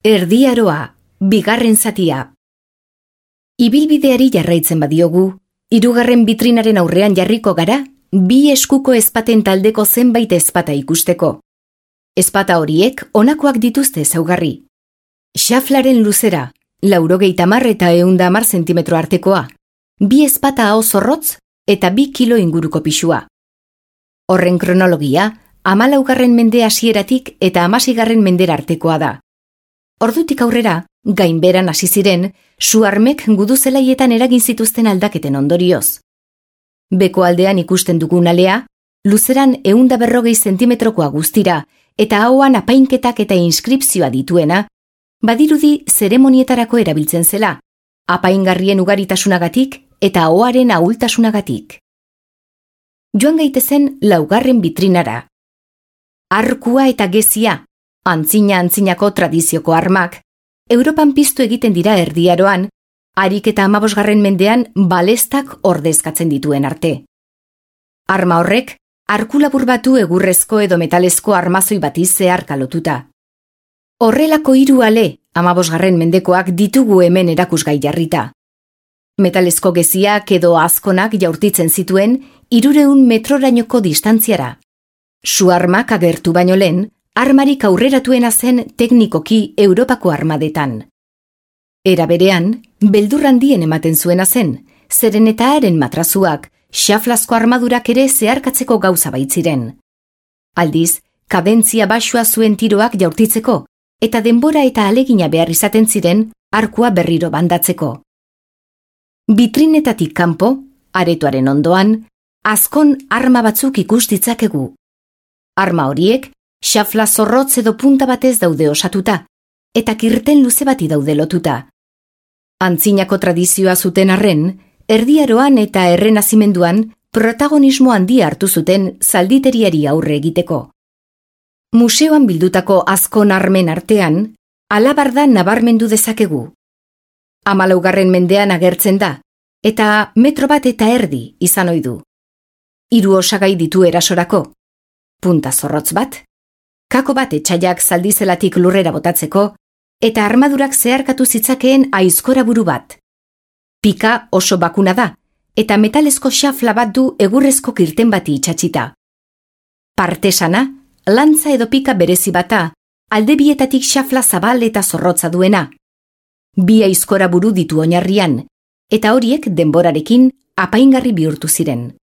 Erdiaroa, bigarren zatia. Ibilbideari jarraitzen badiogu, hirugarren bitrinaren aurrean jarriko gara, bi eskuko ezpaten taldeko zenbait ezpata ikusteko. Ezpata horiek honakoak dituzte ezaugarri. Xaflaren luzera, 90 eta 110 zentimetro artekoa, bi ezpata aho zorrotz eta 2 kilo inguruko pisua. Horren kronologia, 14. mende hasieratik eta 16. mendera artekoa da. Ordutik aurrera, gainberan hasi ziren, su-armek guduzelaietan eragin zituzten aldaketen ondorioz. Beko aldean ikusten dugun alea, luzeran 140 zentimetrokoa guztira, eta ahoan apainketak eta inskripzioa dituena, badirudi zeremonietarako erabiltzen zela, apaingarrien ugaritasunagatik eta ahoaren ahultasunagatik. Joan gaitezen 4. bitrinara. Arkua eta gezia, antzinako tradizioko armak, Europan piztu egiten dira Erdiaroan, harik eta 15. mendean balestak ordezkatzen dituen arte. Arma horrek, arku labur batu egurrezko edo metalezko armazoi bati zeharka lotuta. Horrelako 3 ale, 15. mendekoak ditugu hemen erakusgai jarrita. Metalezko geziak edo azkonak jaurtitzen zituen 300 metrorainoko distantziara. Su-armak agertu baino lehen, armarik aurreratuena zen teknikoki Europako armadetan. Era berean, beldur handien ematen zuena zen, zeren eta haren matrazuak, xaflazko armadurak ere zeharkatzeko gauza baitziren. Aldiz, kadentzia baxua zuen tiroak jaurtitzeko, eta denbora eta alegina behar izaten ziren arkua berriro bandatzeko. Bitrinetatik kanpo, aretoaren ondoan, azkon arma batzuk ikus ditzakegu. Arma horiek, xafla zorrotz edo punta batez daude osatuta, eta kirten luze bati daude lotuta. Antzinako tradizioa zuten arren, Erdiaroan eta Errenazimenduan protagonismo handia hartu zuten zalditeriari aurre egiteko. Museoan bildutako azkon armen artean, alabarda nabarmendu dezakegu. 14. mendean agertzen da, eta 1,5 metro izan ohi du. 3 osagai ditu erasorako. Punta zorrotz bat, kako bat etxaiak zaldizelatik lurrera botatzeko, eta armadurak zeharkatu zitzakeen aizkora buru bat. Pika oso bakuna da, eta metalezko xafla bat du egurrezko kirten bati itxatxita. Partesana, lantza edo pika berezi bata, alde bietatik xafla zabal eta zorrotza duena. 2 aizkora buru ditu oinarrian, eta horiek denborarekin apaingarri bihurtu ziren.